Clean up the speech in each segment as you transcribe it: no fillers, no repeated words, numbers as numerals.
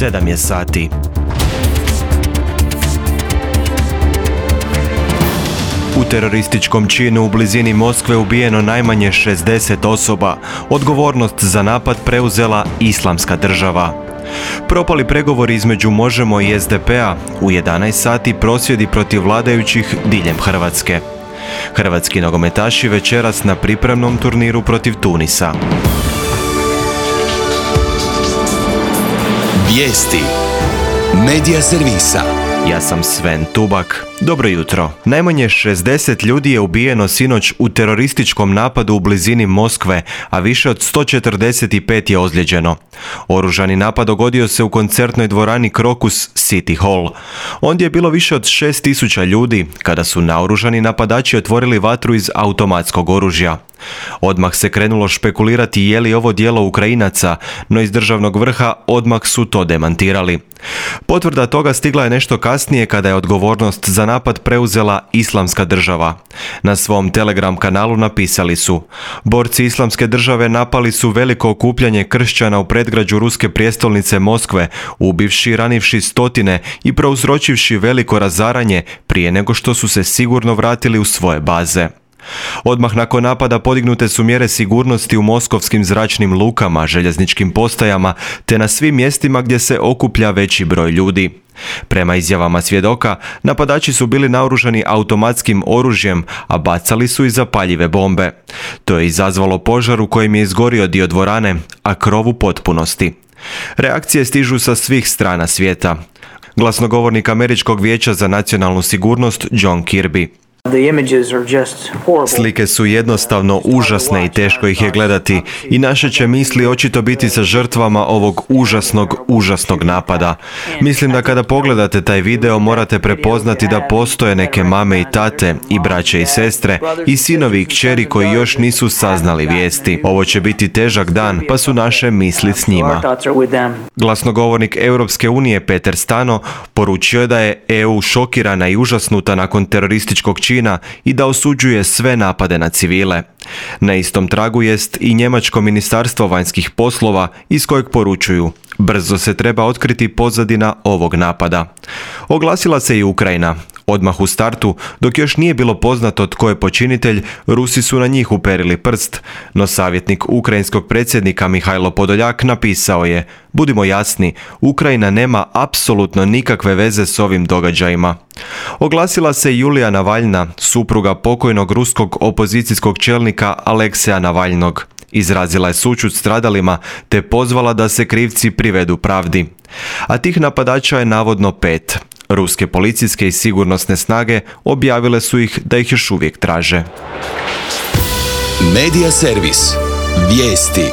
7 je sati. U terorističkom činu u blizini Moskve ubijeno najmanje 60 osoba. Odgovornost za napad preuzela Islamska država. Propali pregovori između Možemo i SDP-a, u 11 sati prosvjedi protiv vladajućih diljem Hrvatske. Hrvatski nogometaši večeras na pripremnom turniru protiv Tunisa. Vijesti Medija servisa. Ja sam Sven Tubak. Dobro jutro. Najmanje 60 ljudi je ubijeno sinoć u terorističkom napadu u blizini Moskve, a više od 145 je ozlijeđeno. Oružani napad dogodio se u koncertnoj dvorani Crocus City Hall. Ondje je bilo više od 6000 ljudi kada su naoružani napadači otvorili vatru iz automatskog oružja. Odmah se krenulo špekulirati je li ovo djelo Ukrajinaca, no iz državnog vrha odmah su to demantirali. Potvrda toga stigla je nešto kasnije kada je odgovornost za napad preuzela Islamska država. Na svom Telegram kanalu napisali su: borci Islamske države napali su veliko okupljanje kršćana u predgrađu ruske prijestolnice Moskve, ubivši i ranivši stotine i prouzročivši veliko razaranje prije nego što su se sigurno vratili u svoje baze. Odmah nakon napada podignute su mjere sigurnosti u moskovskim zračnim lukama, željezničkim postajama te na svim mjestima gdje se okuplja veći broj ljudi. Prema izjavama svjedoka, napadači su bili naoružani automatskim oružjem, a bacali su i zapaljive bombe. To je izazvalo požar u kojem je izgorio dio dvorane, a krov u potpunosti. Reakcije stižu sa svih strana svijeta. Glasnogovornik Američkog vijeća za nacionalnu sigurnost John Kirby: slike su jednostavno užasne i teško ih je gledati i naše će misli očito biti sa žrtvama ovog užasnog napada. Mislim da kada pogledate taj video morate prepoznati da postoje neke mame i tate i braće i sestre i sinovi i kćeri koji još nisu saznali vijesti. Ovo će biti težak dan, pa su naše misli s njima. Glasnogovornik Europske unije Peter Stano poručio je da je EU šokirana i užasnuta nakon terorističkog čina i da osuđuje sve napade na civile. Na istom tragu jest i njemačko ministarstvo vanjskih poslova iz kojeg poručuju: brzo se treba otkriti pozadina ovog napada. Oglasila se i Ukrajina. Odmah u startu, dok još nije bilo poznato tko je počinitelj, Rusi su na njih uperili prst, no savjetnik ukrajinskog predsjednika Mihajlo Podoljak napisao je: budimo jasni, Ukrajina nema apsolutno nikakve veze s ovim događajima. Oglasila se i Julija Navalna, supruga pokojnog ruskog opozicijskog čelnika Alekseja Navalnog. Izrazila je sućut stradalima te pozvala da se krivci privedu pravdi. A tih napadača je navodno 5. Ruske policijske i sigurnosne snage objavile su ih da ih još uvijek traže. Medija servis. Vijesti.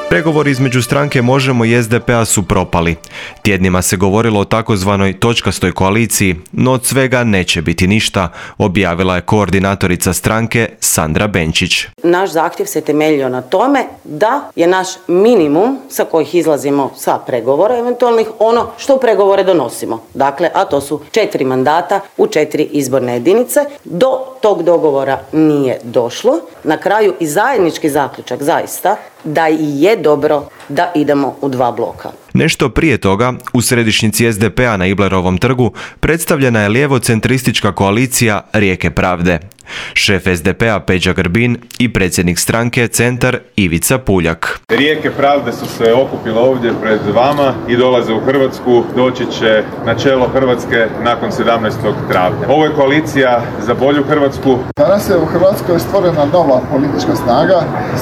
Pregovori između stranke Možemo i SDP-a su propali. Tjednima se govorilo o takozvanoj točkastoj koaliciji, no od svega neće biti ništa, objavila je koordinatorica stranke Sandra Benčić. Naš zahtjev se temeljio na tome da je naš minimum sa kojih izlazimo sa pregovora eventualnih ono što u pregovore donosimo. Dakle, a to su 4 mandata u 4 izborne jedinice. Do tog dogovora nije došlo. Na kraju i zajednički zaključak zaista da i je dobro da idemo u 2 bloka. Nešto prije toga, u središnjici SDP-a na Iblerovom trgu predstavljena je lijevo-centristička koalicija Rijeke pravde. Šef SDP-a Peđa Grbin i predsjednik stranke Centar Ivica Puljak. Rijeke pravde su se okupile ovdje pred vama i dolaze u Hrvatsku. Doći će na čelo Hrvatske nakon 17. travnja. Ovo je koalicija za bolju Hrvatsku. Danas je u Hrvatskoj stvorena nova politička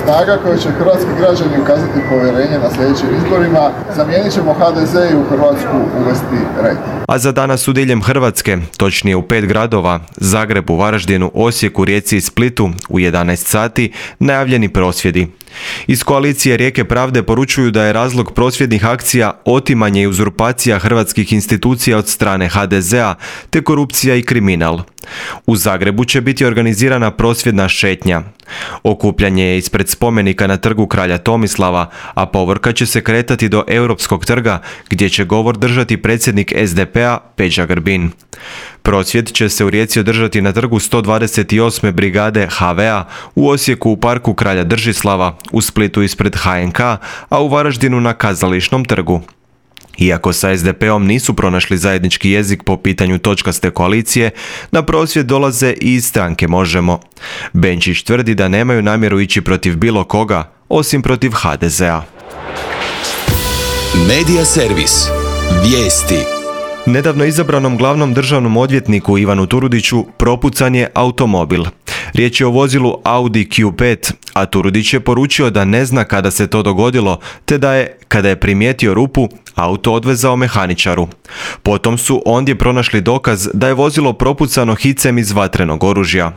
snaga koju će hrvatski građani ukazati povjerenje na sljedećim izborima. Zamijenit ćemo HDZ i u Hrvatsku uvesti red. A za danas u diljem Hrvatske, točnije u 5 gradova, Zagrebu, Varaždinu, Osijeku, Rijeci i Splitu, u 11 sati, najavljeni prosvjedi. Iz koalicije Rijeke pravde poručuju da je razlog prosvjednih akcija otimanje i uzurpacija hrvatskih institucija od strane HDZ-a te korupcija i kriminal. U Zagrebu će biti organizirana prosvjedna šetnja. Okupljanje je ispred spomenika na trgu kralja Tomislava, a povorka će se kretati do Europskog trga gdje će govor držati predsjednik SDP-a Peđa Grbin. Prosvjed će se u Rijeci održati na trgu 128. brigade HV-a, u Osijeku u parku kralja Držislava, u Splitu ispred HNK, a u Varaždinu na Kazališnom trgu. Iako sa SDP-om nisu pronašli zajednički jezik po pitanju točkaste koalicije, na prosvjed dolaze i iz stranke Možemo. Benčić tvrdi da nemaju namjeru ići protiv bilo koga, osim protiv HDZ-a. Medija servis. Vijesti. Nedavno izabranom glavnom državnom odvjetniku Ivanu Turudiću propucan je automobil. Riječ je o vozilu Audi Q5, a Turudić je poručio da ne zna kada se to dogodilo, te da je, kada je primijetio rupu, auto odvezao mehaničaru. Potom su ondje pronašli dokaz da je vozilo propucano hicem iz vatrenog oružja.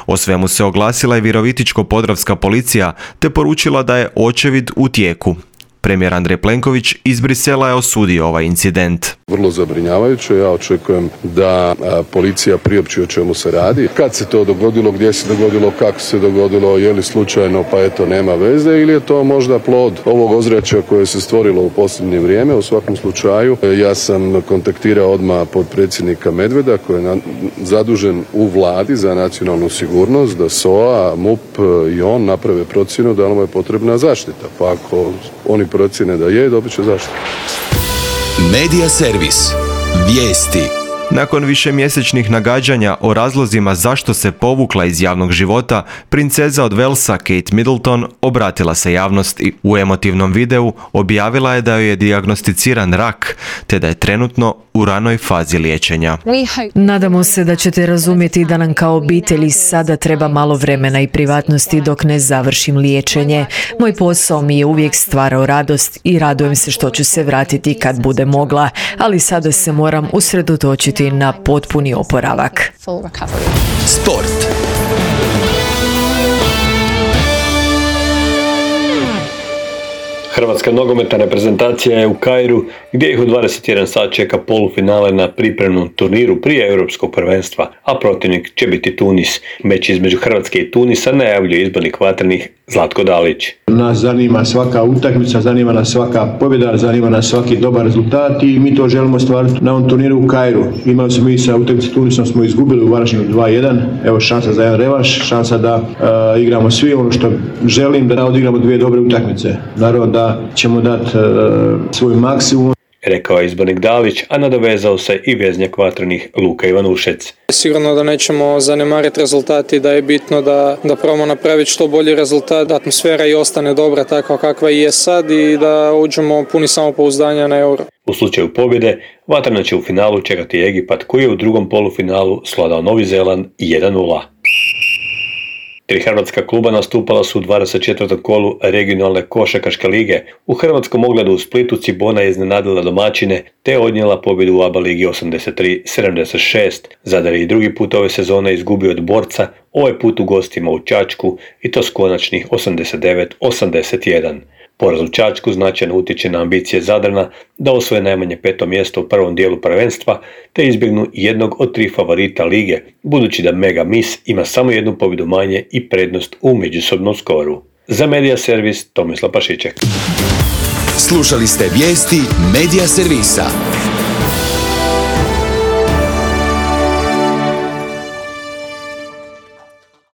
O svemu se oglasila i Virovitičko-podravska policija, te poručila da je očevid u tijeku. Premijer Andrej Plenković iz Brisela je osudio ovaj incident. Vrlo zabrinjavajuće, ja očekujem da policija priopći o čemu se radi. Kad se to dogodilo, gdje se dogodilo, kako se dogodilo, je li slučajno pa eto nema veze ili je to možda plod ovog ozračja koje se stvorilo u posljednje vrijeme. U svakom slučaju ja sam kontaktirao odmah potpredsjednika Medveda koji je zadužen u vladi za nacionalnu sigurnost da SOA, MUP i on naprave procjenu da li mu je potrebna zaštita. Pa ako oni procjene da je, dobit će zaštitu. Medija servis. Vijesti. Nakon višemjesečnih nagađanja o razlozima zašto se povukla iz javnog života, princeza od Walesa Kate Middleton obratila se javnosti. U emotivnom videu objavila je da joj je dijagnosticiran rak, te da je trenutno u ranoj fazi liječenja. Nadamo se da ćete razumjeti da nam kao obitelji sada treba malo vremena i privatnosti dok ne završim liječenje. Moj posao mi je uvijek stvarao radost i radujem se što ću se vratiti kad bude mogla, ali sada se moram usredotočiti na potpuni oporavak. Sport. Hrvatska nogometna reprezentacija je u Kairu gdje ih u 21 sat čeka polufinale na pripremnom turniru prije Europskog prvenstva, a protivnik će biti Tunis. Meč između Hrvatske i Tunisa najavljuje izbornik vatrenih Zlatko Dalić. Nas zanima svaka utakmica, zanima nas svaka pobjeda, zanima nas svaki dobar rezultat i mi to želimo stvariti na ovom turniru u Kairu. Imali smo mi sa utakmice Tunisom, smo izgubili u Varaždinu 2-1, evo šansa za jedan revanš, šansa da igramo svi ono što želim, da odigramo dvije dobre utakmice. Naravno da ćemo dati svoj maksimum. Rekao je izbornik Dalić, a nadovezao se i veznjak vatrenih Luka Ivanušec. Sigurno da nećemo zanemariti rezultati, da je bitno da probamo napraviti što bolji rezultat, da atmosfera i ostane dobra takva kakva i je sad i da uđemo puni samopouzdanja na Euro. U slučaju pobjede, vatrena će u finalu čekati Egipat koji je u drugom polufinalu svladao Novi Zeland 1-0. Tri hrvatska kluba nastupala su u 24. kolu regionalne košarkaške lige. U hrvatskom ogledu u Splitu Cibona je iznenadila domaćine te odnijela pobjedu u ABA ligi 83-76. Zadar je i drugi put ove sezone izgubio od Borca, ovaj put u gostima u Čačku i to s konačnih 89-81. Poraz u Čačku značajno utječe na ambicije Zadrana da osvoje najmanje 5. mjesto u prvom dijelu prvenstva te izbjegnu jednog od 3 favorita lige, budući da Mega Mis ima samo jednu pobjedu manje i prednost u međusobnom skoru. Za Medija servis Tomislav Pašiček. Slušali ste vijesti Medija servisa.